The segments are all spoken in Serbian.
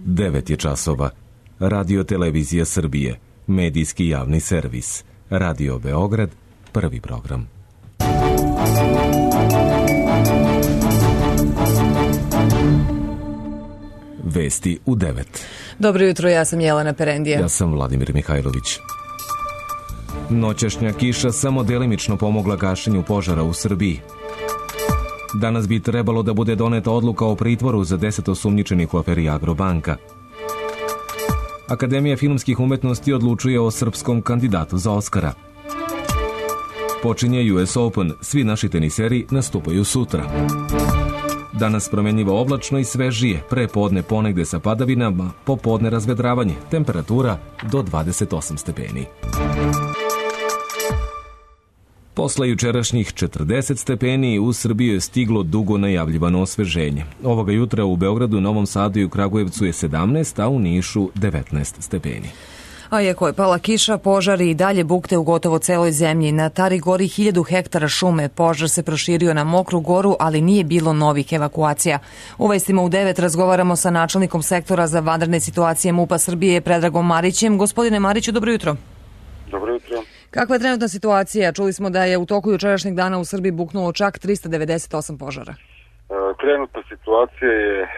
9 je časova. Radio Televizija Srbije, medijski javni servis. Radio Beograd, prvi program. Vesti u 9. Dobro jutro, ja sam Jelena Perendija. Ja sam Vladimir Mihajlović. Noćašnja kiša samo delimično pomogla gašenju požara u Srbiji. Danas bi trebalo da bude doneta odluka o pritvoru za 10 osumnjičenih u aferi Agrobanka. Akademija filmskih umetnosti odlučuje o srpskom kandidatu za Oskara. Počinje US Open, svi naši teniseri nastupaju sutra. Danas promenljivo oblačno i svežije, pre podne ponegde sa padavinama, popodne razvedravanje, temperatura do 28 stepeni. Posle jučerašnjih 40 stepeni u Srbiju je stiglo dugo najavljivano osveženje. Ovoga jutra u Beogradu, Novom Sadu i u Kragujevcu je 17, a u Nišu 19 stepeni. A iako je pala kiša, požari i dalje bukte u gotovo celoj zemlji. Na Tari gori 1000 hektara šume. Požar se proširio na Mokru Goru, ali nije bilo novih evakuacija. U vestima u 9 razgovaramo sa načelnikom sektora za vanredne situacije MUP-a Srbije, Predragom Marićem. Gospodine Mariću, dobro jutro. Dobro jutro. Kakva je trenutna situacija? Čuli smo da je u toku jučerašnjeg dana u Srbiji buknulo čak 398 požara. Trenutna situacija je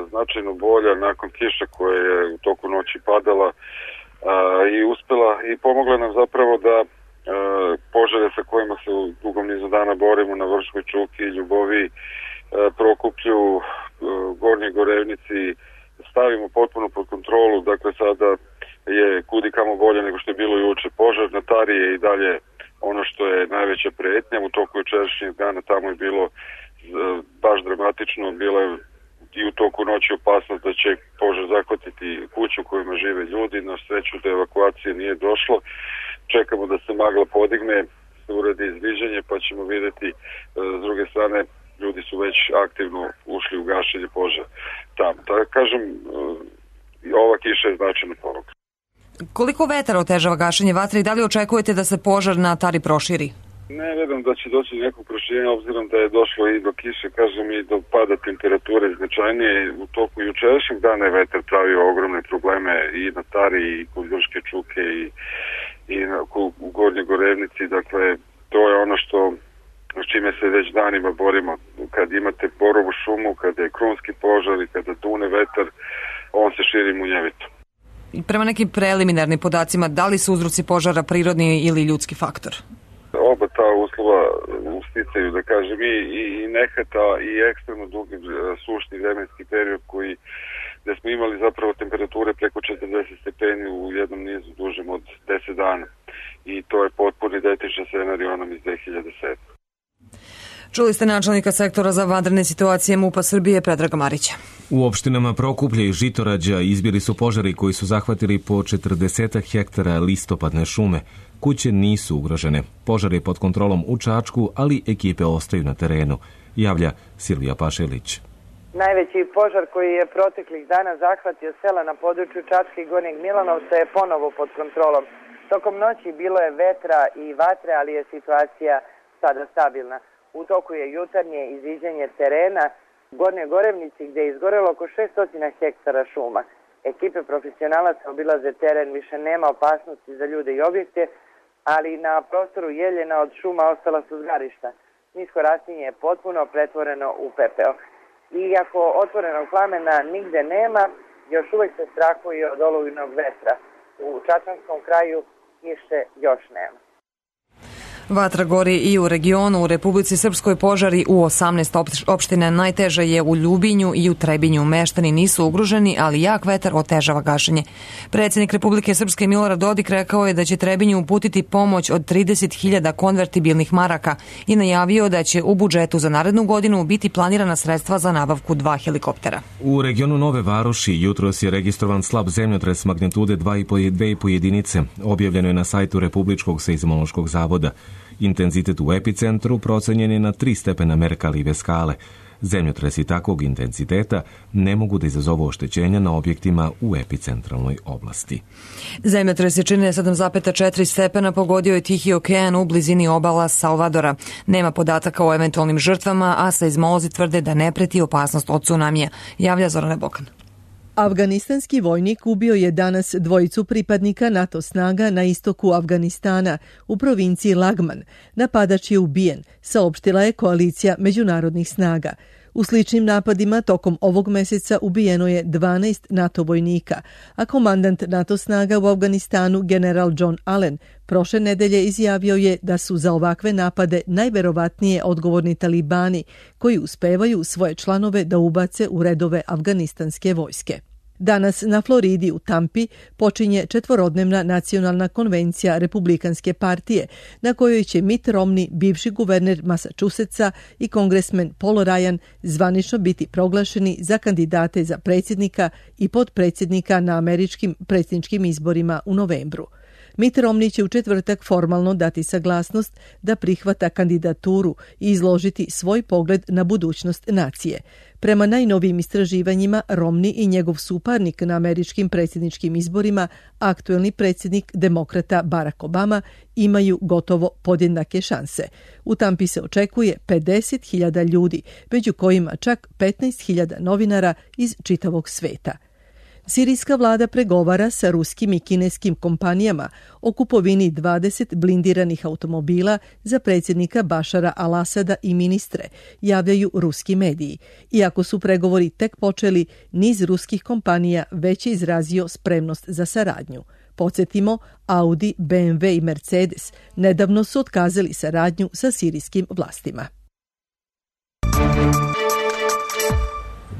značajno bolja nakon kiše koja je u toku noći padala i uspela i pomogla nam zapravo da požare sa kojima se u dugom nizu dana borimo na Vrškoj Čuki, Ljuboviji, Prokuplju, Gornjoj Gorevnici stavimo potpuno pod kontrolu. Dakle, sada je kudi kamo bolje nego što je bilo juče. Požar na Tari je i dalje ono što je najveća pretnja. U toku jučerašnjeg dana tamo je bilo baš dramatično, bila je i u toku noći opasnost da će požar zahvatiti kuću u kojima žive ljudi. Na sreću da evakuacije nije došlo. Čekamo da se magla podigne, se uradi izviđanje, pa ćemo vidjeti. S druge strane, ljudi su već aktivno ušli u gašenje požara tamo. Tako kažem, ova kiša je značajna poruka. Koliko vetar otežava gašenje vatre i da li očekujete da se požar na Tari proširi? Ne verujem da će doći do nekog proširenja, obzirom da je došlo i do kiše, kažem, i do pada temperature značajnije. U toku jučerašnjeg dana je vetar pravio ogromne probleme i na Tari, i kod Vrške Čuke, i u Gornjoj Gorevnici. Dakle, to je ono s čime se već danima borimo. Kad imate borovu šumu, kada je krunski požar i kada dune vetar, on se širi munjevito. Prema nekim preliminarnim podacima, da li su uzroci požara prirodni ili ljudski faktor? Oba ta uslova usticaju, da kažem, i nehata i ekstremno dugi sušni vremenski period gde smo imali zapravo temperature preko 40 stepeni u jednom nizu dužem od 10 dana. I to je potpuno identičan scenarij onom iz 2007. Čuli ste načelnika sektora za vanredne situacije MUP-a Srbije, Predraga Marića. U opštinama Prokuplje i Žitorađa izbili su požari koji su zahvatili po 40 hektara listopadne šume. Kuće nisu ugrožene. Požar je pod kontrolom u Čačku, ali ekipe ostaju na terenu, javlja Silvija Pašelić. Najveći požar koji je proteklih dana zahvatio sela na području Čačke i Gornjeg Milanovca je ponovo pod kontrolom. Tokom noći bilo je vetra i vatre, ali je situacija sada stabilna. U toku je jutarnje izviđanje terena u Gornjoj Gorevnici gdje je izgorelo oko 600 hektara šuma. Ekipe profesionalaca obilaze teren, više nema opasnosti za ljude i objekte, ali na prostoru Jeljena od šuma ostala su zgarišta. Nisko rastinje je potpuno pretvoreno u pepeo. Iako otvorenog plamena nigde nema, još uvek se strahuje od olujnog vetra. U Čačanskom kraju kiše još nema. Vatra gori i u regionu. U Republici Srpskoj požari u 18 opština. Najteže je u Ljubinju i u Trebinju. Meštani nisu ugroženi, ali jak vetar otežava gašenje. Predsjednik Republike Srpske Milorad Dodik rekao je da će Trebinju uputiti pomoć od 30.000 konvertibilnih maraka i najavio da će u budžetu za narednu godinu biti planirana sredstva za nabavku 2 helikoptera. U regionu Nove Varoši jutros je registrovan slab zemljotres magnitude 2,5 jedinice. Objavljeno je na sajtu Republičkog seizmološkog zavoda. Intenzitet u epicentru procenjen je na 3 stepena Merkalove skale. Zemljotresi takvog intenziteta ne mogu da izazovu oštećenja na objektima u epicentralnoj oblasti. Zemljotres je čine 7,4 stepena, pogodio je Tihi okean u blizini obala Salvadora. Nema podataka o eventualnim žrtvama, a seizmolozi tvrde da ne preti opasnost od tsunamija, javlja Zorana Bokan. Afganistanski vojnik ubio je danas dvojicu pripadnika NATO snaga na istoku Afganistana u provinciji Lagman. Napadač je ubijen, saopštila je koalicija međunarodnih snaga. U sličnim napadima tokom ovog meseca ubijeno je 12 NATO vojnika, a komandant NATO snaga u Afganistanu general John Allen prošle nedelje izjavio je da su za ovakve napade najverovatnije odgovorni talibani koji uspevaju svoje članove da ubace u redove afganistanske vojske. Danas na Floridi u Tampi počinje 4-dnevna nacionalna konvencija Republikanske partije na kojoj će Mitt Romney, bivši guverner Massachusettsa, i kongresmen Paul Ryan zvanično biti proglašeni za kandidate za predsjednika i potpredsjednika na američkim predsjedničkim izborima u novembru. Mitt Romney će u četvrtak formalno dati saglasnost da prihvata kandidaturu i izložiti svoj pogled na budućnost nacije. Prema najnovijim istraživanjima, Romney i njegov suparnik na američkim predsjedničkim izborima, aktuelni predsjednik demokrata Barack Obama, imaju gotovo podjednake šanse. U Tampi se očekuje 50.000 ljudi, među kojima čak 15.000 novinara iz čitavog sveta. Sirijska vlada pregovara sa ruskim i kineskim kompanijama o kupovini 20 blindiranih automobila za predsjednika Bašara al-Asada i ministre, javljaju ruski mediji. Iako su pregovori tek počeli, niz ruskih kompanija već je izrazio spremnost za saradnju. Podsjetimo, Audi, BMW i Mercedes nedavno su otkazali saradnju sa sirijskim vlastima.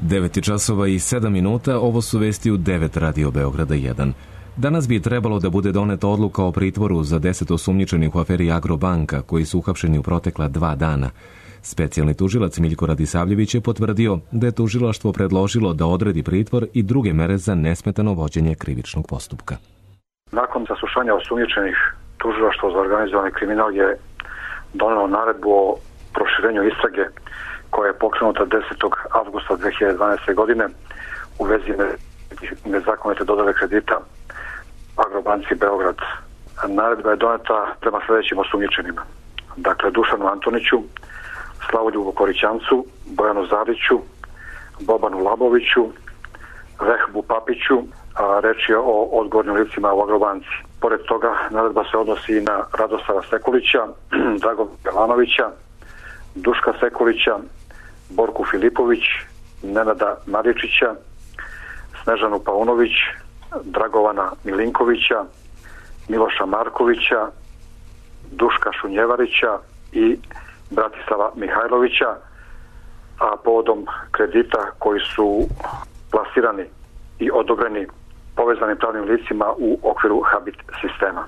9 časova i 7 minuta, ovo su vesti u 9 Radio Beograda 1. Danas bi trebalo da bude doneta odluka o pritvoru za 10 osumnjičenih u aferi Agrobanka, koji su uhapšeni u protekla 2 dana. Specijalni tužilac Miljko Radisavljević je potvrdio da je tužilaštvo predložilo da odredi pritvor i druge mere za nesmetano vođenje krivičnog postupka. Nakon saslušanja osumnjičenih, tužilaštvo za organizovani kriminal je donelo naredbu o proširenju istrage koja je pokrenuta 10. avgusta 2012. godine u vezi nezakonite dodjele kredita Agrobanci Beograd. Naredba je doneta prema sljedećim osumnjičenima. Dakle, Dušanu Antoniću, Slavoljubu Korićancu, Bojanu Zariću, Bobanu Laboviću, Vehbu Papiću, a reč je o odgovornim licima u Agrobanci. Pored toga, naredba se odnosi i na Radoslava Sekulića, Dragovana Belanovića, Duška Sekulića, Borku Filipović, Nenada Maričića, Snežanu Paunović, Dragovana Milinkovića, Miloša Markovića, Duška Šunjevarića i Bratislava Mihajlovića, a povodom kredita koji su plasirani i odobreni povezanim pravnim licima u okviru Habit sistema.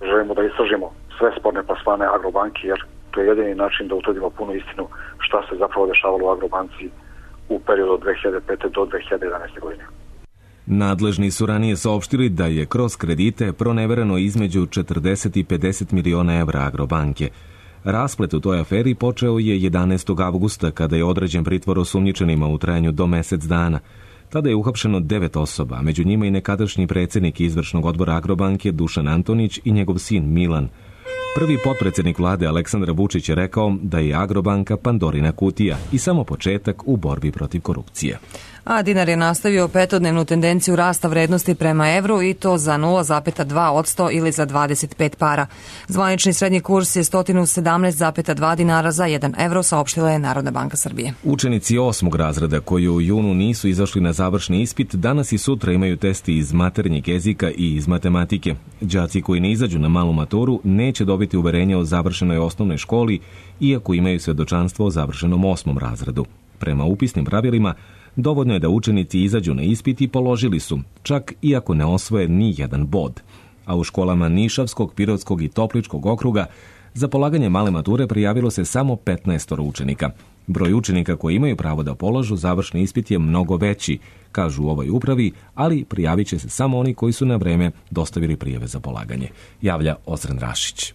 Želimo da istražimo sve sporne plasmane Agrobanki, jer to je jedini način da utvrdimo punu istinu šta se zapravo dešavalo u Agrobanci u periodu od 2005. do 2011. godine. Nadležni su ranije saopštili da je kroz kredite pronevereno između 40 i 50 miliona evra Agrobanke. Rasplet u toj aferi počeo je 11. avgusta kada je određen pritvor osumnjičenima u trajanju do mesec dana. Tada je uhapšeno 9 osoba, među njima i nekadašnji predsjednik izvršnog odbora Agrobanke Dušan Antonić i njegov sin Milan. Prvi potpredsjednik vlade Aleksandar Vučić je rekao da je Agrobanka Pandorina kutija i samo početak u borbi protiv korupcije. A dinar je nastavio 5-dnevnu tendenciju rasta vrednosti prema evru i to za 0,2% ili za 25 para. Zvanični srednji kurs je 117,2 dinara za 1 evro, saopštila je Narodna banka Srbije. Učenici 8. razreda koji u junu nisu izašli na završni ispit, danas i sutra imaju testi iz maternjeg jezika i iz matematike. Đaci koji ne izađu na malu maturu neće dobiti uverenje o završenoj osnovnoj školi, iako imaju svedočanstvo o završenom 8. razredu. Prema upisnim pravilima, dovoljno je da učenici izađu na ispit i položili su, čak iako ne osvoje ni jedan bod. A u školama Nišavskog, Pirotskog i Topličkog okruga za polaganje male mature prijavilo se samo 15 učenika. Broj učenika koji imaju pravo da polažu završni ispit je mnogo veći, kažu u ovoj upravi, ali prijavit će se samo oni koji su na vreme dostavili prijave za polaganje, javlja Ozren Rašić.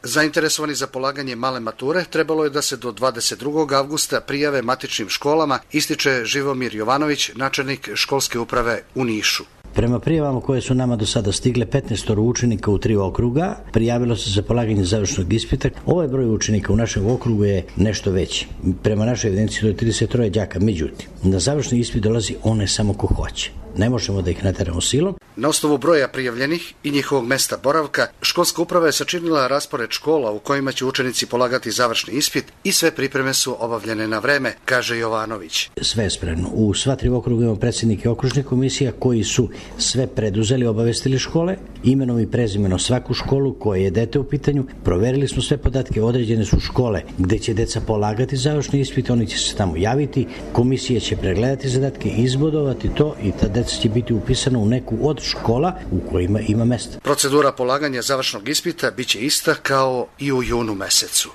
Zainteresovani za polaganje male mature trebalo je da se do 22. avgusta prijave matičnim školama, ističe Živomir Jovanović, načelnik školske uprave u Nišu. Prema prijavama koje su nama do sada stigle, 15 učenika u 3 okruga prijavilo se za polaganje završnog ispita. Ovaj broj učenika u našem okrugu je nešto veći. Prema našoj evidenciji to je 33 đaka. Međutim, na završni ispit dolazi one samo ko hoće. Ne možemo da ih nateramo silom. Na osnovu broja prijavljenih i njihovog mesta boravka, školska uprava je sačinila raspored škola u kojima će učenici polagati završni ispit i sve pripreme su obavljene na vreme, kaže Jovanović. Sve je spremno. U sva 3 okruga imamo predsjednike okružnih komisija koji su sve preduzeli, obavestili škole, imenom i prezimenom svaku školu koje je dete u pitanju. Proverili smo sve podatke, određene su škole gde će deca polagati završni ispit, oni će se tamo javiti, komisija će pregledati zadatke, izbodovati to i ta deca će biti upisana u neku od škola u kojima ima mesta. Procedura polaganja završnog ispita biće ista kao i u junu mesecu.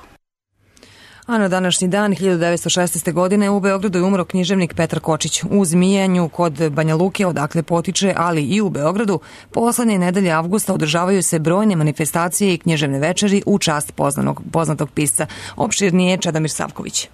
A na današnji dan 1916. godine u Beogradu je umro književnik Petar Kočić. U Zmijanju kod Banja Luke, odakle potiče, ali i u Beogradu, poslednje nedelje avgusta održavaju se brojne manifestacije i književne večeri u čast poznatog pisca. Opširnije Čedomir Savković.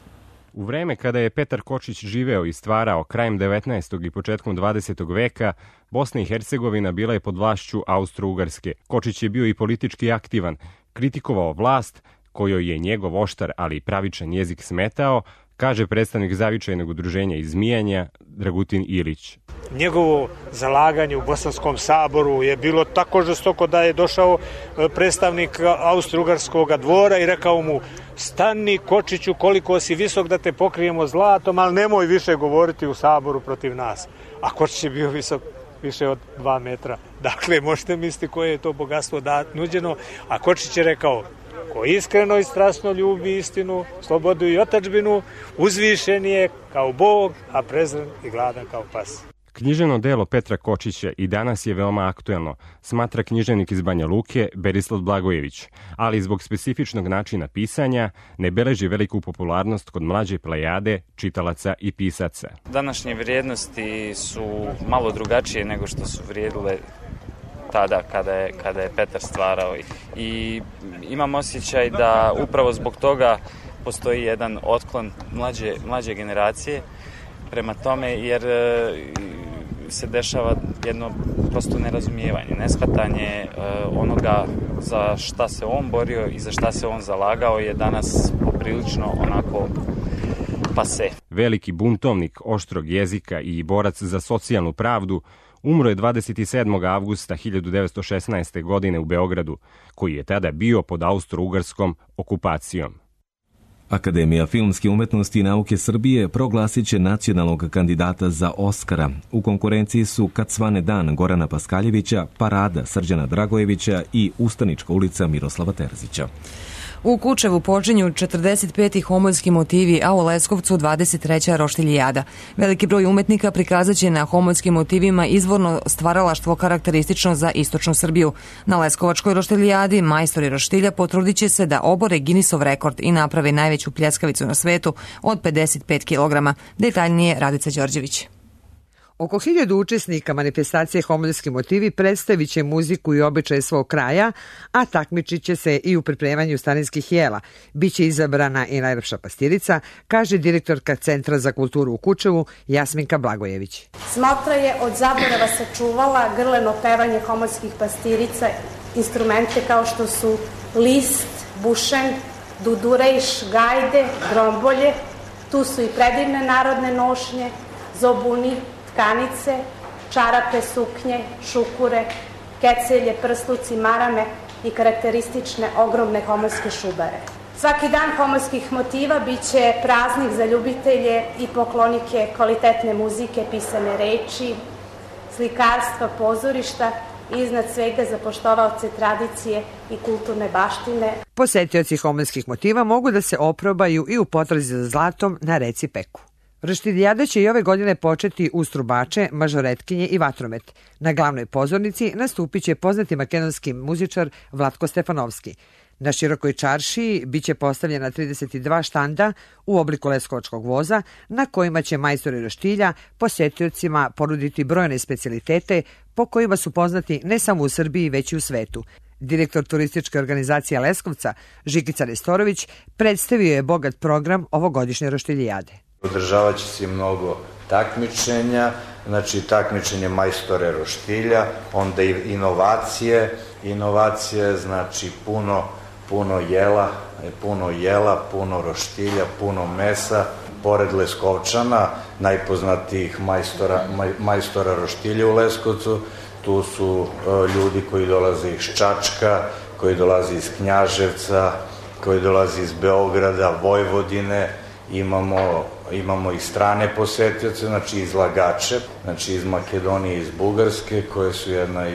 U vreme kada je Petar Kočić živeo i stvarao krajem 19. i početkom 20. veka, Bosna i Hercegovina bila je pod vlašću Austro-Ugarske. Kočić je bio i politički aktivan, kritikovao vlast, kojoj je njegov oštar, ali i pravičan jezik smetao, kaže predstavnik zavičajnog udruženja iz Zmijanja Dragutin Ilić. Njegovo zalaganje u Bosanskom saboru je bilo tako žestoko da je došao predstavnik Austro-Ugarskog dvora i rekao mu: stani Kočiću, koliko si visok da te pokrijemo zlatom, ali nemoj više govoriti u saboru protiv nas. A Kočić je bio visok više od 2 metra. Dakle, možete misliti koje je to bogatstvo nuđeno. A Kočić je rekao: ko iskreno i strasno ljubi istinu, slobodu i otadžbinu, uzvišen je kao Bog, a prezren i gladan kao pas. Književno delo Petra Kočića i danas je veoma aktuelno, smatra književnik iz Banja Luke Berislav Blagojević, ali zbog specifičnog načina pisanja ne beleži veliku popularnost kod mlađe plejade čitalaca i pisaca. Današnje vrijednosti su malo drugačije nego što su vrijedile tada kada je Petar stvarao. I imam osjećaj da upravo zbog toga postoji jedan otklon mlađe generacije prema tome, jer se dešava jedno prosto nerazumijevanje, neshvatanje onoga za šta se on borio i za šta se on zalagao je danas poprilično onako pase. Veliki buntovnik oštrog jezika i borac za socijalnu pravdu umro je 27. avgusta 1916. godine u Beogradu, koji je tada bio pod austro-ugarskom okupacijom. Akademija filmske umetnosti i nauke Srbije proglasit će nacionalnog kandidata za Oskara. U konkurenciji su Kad svane dan Gorana Paskaljevića, Parada Srđana Dragojevića i Ustanička ulica Miroslava Terzića. U Kučevu počinju 45. homoljski motivi, a u Leskovcu 23. roštiljijada. Veliki broj umetnika prikazat će na homoljskim motivima izvorno stvaralaštvo karakteristično za istočnu Srbiju. Na Leskovačkoj roštiljijadi majstori roštilja potrudit će se da obore Guinnessov rekord i naprave najveću pljeskavicu na svetu od 55 kg. Detaljnije Radica Đorđević. Oko 1000 učesnika manifestacije Homoljski motivi predstavit će muziku i običaje svog kraja, a takmičit će se i u pripremanju starinskih jela. Biće izabrana i najlepša pastirica, kaže direktorka Centra za kulturu u Kučevu Jasminka Blagojević. Smotra je od zaborava sačuvala grleno pevanje homoljskih pastirica, instrumente kao što su list, bušen, dudurejš, gajde, grombolje. Tu su i predivne narodne nošnje, zobuni, tkanice, čarape, suknje, šukure, kecelje, prsluci, marame i karakteristične ogromne homoljske šubare. Svaki dan homoljskih motiva biće praznik za ljubitelje i poklonike kvalitetne muzike, pisane reči, slikarstva, pozorišta i iznad svega za poštovaoce tradicije i kulturne baštine. Posetioci homoljskih motiva mogu da se oprobaju i u potrazi za zlatom na reci Peku. Roštiljijada će i ove godine početi uz trubače, mažoretkinje i vatromet. Na glavnoj pozornici nastupit će poznati makedonski muzičar Vlatko Stefanovski. Na širokoj čaršiji biće postavljena 32 štanda u obliku leskovačkog voza, na kojima će majstori roštilja posetiocima ponuditi brojne specijalitete po kojima su poznati ne samo u Srbiji, već i u svetu. Direktor turističke organizacije Leskovca, Žikica Nestorović, predstavio je bogat program ovogodišnje roštiljijade. Održavat će se mnogo takmičenja, znači takmičenje majstore roštilja, onda i inovacije, znači puno jela, puno roštilja, puno mesa. Pored Leskovčana, najpoznatijih majstora roštilja u Leskovcu, tu su ljudi koji dolaze iz Čačka, koji dolaze iz Knjaževca, koji dolaze iz Beograda, Vojvodine, imamo i strane posetioce, znači izlagače, znači iz Makedonije, iz Bugarske, koje su jedna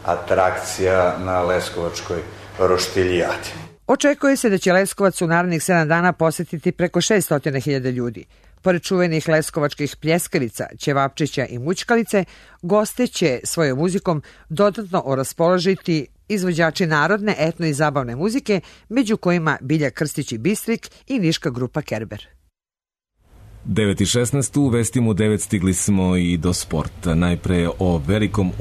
atrakcija na Leskovačkoj roštiljadi. Očekuje se da će Leskovac u narednih 7 dana posetiti preko 600.000 ljudi. Pored čuvenih leskovačkih pljeskavica, ćevapčića i mućkalice, goste će svojom muzikom dodatno oraspoložiti izvođači narodne, etno i zabavne muzike, među kojima Bilja Krstić i Bistrik i niška grupa Kerber. 9.16 u Vestim u 9 stigli smo i do sporta. Najpre o velikom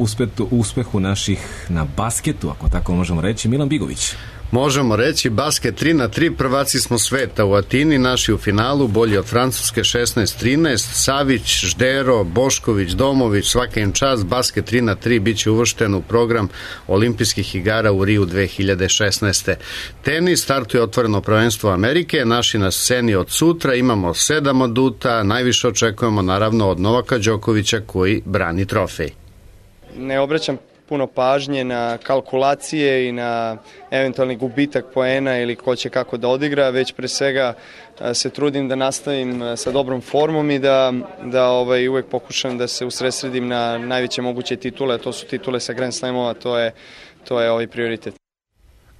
uspehu naših na basketu, ako tako možemo reći. Milan Bigović. Možemo reći, basket 3-3, prvaci smo sveta u Atini, naši u finalu, bolji od Francuske 16-13, Savić, Ždero, Bošković, Domović, svaka im čast, basket 3-3 bit će uvršten u program olimpijskih igara u Riju 2016. Tenis, startuje otvoreno prvenstvo Amerike, naši na sceni od sutra, imamo 7 aduta, najviše očekujemo naravno od Novaka Đokovića koji brani trofej. Ne obraćam puno pažnje na kalkulacije i na eventualni gubitak poena ili ko će kako da odigra, već pre svega se trudim da nastavim sa dobrom formom i da uvek pokušam da se usredsredim na najveće moguće titule, a to su titule sa Grand Slamova, to je prioritet.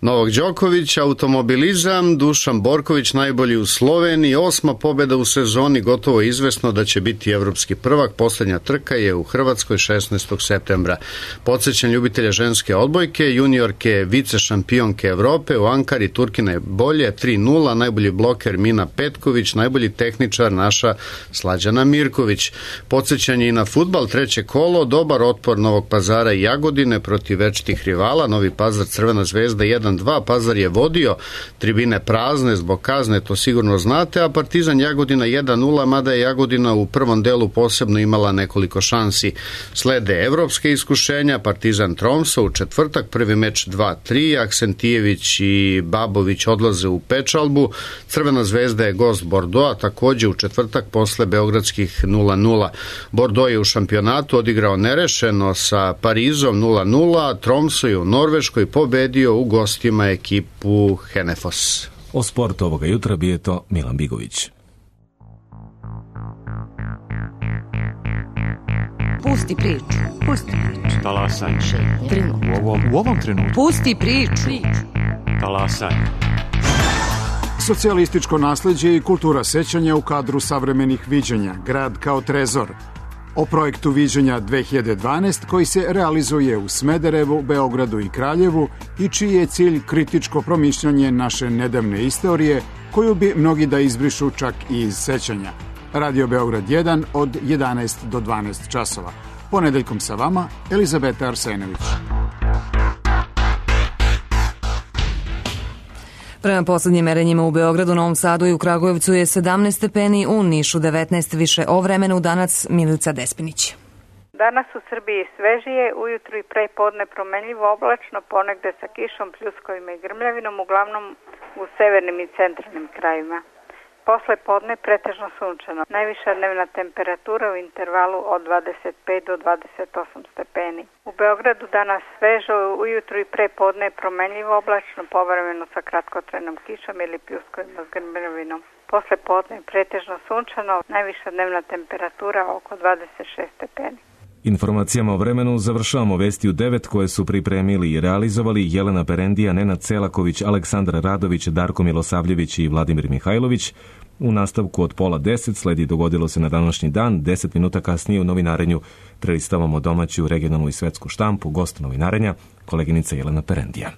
Novak Đoković, automobilizam, Dušan Borković najbolji u Sloveniji, 8. pobjeda u sezoni, gotovo izvesno da će biti evropski prvak, posljednja trka je u Hrvatskoj 16. septembra. Podsjećam ljubitelja ženske odbojke, juniorke, vice šampionke Evrope, u Ankari Turkine bolje, 3-0, najbolji bloker Mina Petković, najbolji tehničar naša Slađana Mirković. Podsjećanje i na fudbal, treće kolo, dobar otpor Novog Pazara i Jagodine protiv večitih rivala, Novi Pazar Crvena zvezda 1-2, Pazar je vodio, tribine prazne zbog kazne, to sigurno znate, a Partizan Jagodina 1-0, mada je Jagodina u prvom delu posebno imala nekoliko šansi. Slede evropske iskušenja, Partizan Tromso u četvrtak, prvi meč 2-3, Aksentijević i Babović odlaze u pečalbu, Crvena zvezda je gost Bordeaux, takođe u četvrtak posle beogradskih 0-0. Bordeaux je u šampionatu odigrao nerešeno sa Parizom 0-0, Tromso je u Norveškoj pobedio u gostima ekipu Henefos. O sportu ovoga jutra bio to Milan Bigović. Pusti priču. Talasaj. U ovom trenutku. Pusti priču. Talasaj. Socijalističko nasleđe i kultura sećanja u kadru savremenih viđenja. Grad kao trezor. O projektu Viđenja 2012 koji se realizuje u Smederevu, Beogradu i Kraljevu i čiji je cilj kritičko promišljanje naše nedavne istorije koju bi mnogi da izbrišu čak i iz sećanja. Radio Beograd 1 od 11 do 12 časova. Ponedeljkom sa vama Elizabeta Arsenović. Prema poslednjim merenjima u Beogradu, Novom Sadu i u Kragujevcu je 17 stepeni, u Nišu 19, više o vremenu danas Milica Despinić. Danas u Srbiji svežije, ujutru i pre podne promenljivo oblačno, ponegde sa kišom, pljuskovima i grmljavinom, uglavnom u severnim i centralnim krajevima. Posle podne pretežno sunčano. Najviša dnevna temperatura u intervalu od 25 do 28 stepeni. U Beogradu danas svežo, ujutru i pre podne promenljivo oblačno, povremeno sa kratkotrajnom kišom ili pljuskovima s grmljavinom. Posle podne pretežno sunčano, najviša dnevna temperatura oko 26 stepeni. Informacijama o vremenu završavamo vesti u 9 koje su pripremili i realizovali Jelena Perendija, Nenad Celaković, Aleksandar Radović, Darko Milosavljević i Vladimir Mihajlović. U nastavku od 9:30 sledi Dogodilo se na današnji dan. 10 minuta kasnije u novinarenju prelistavamo domaću, regionalnu i svetsku štampu. Gost novinarenja, koleginica Jelena Perendija.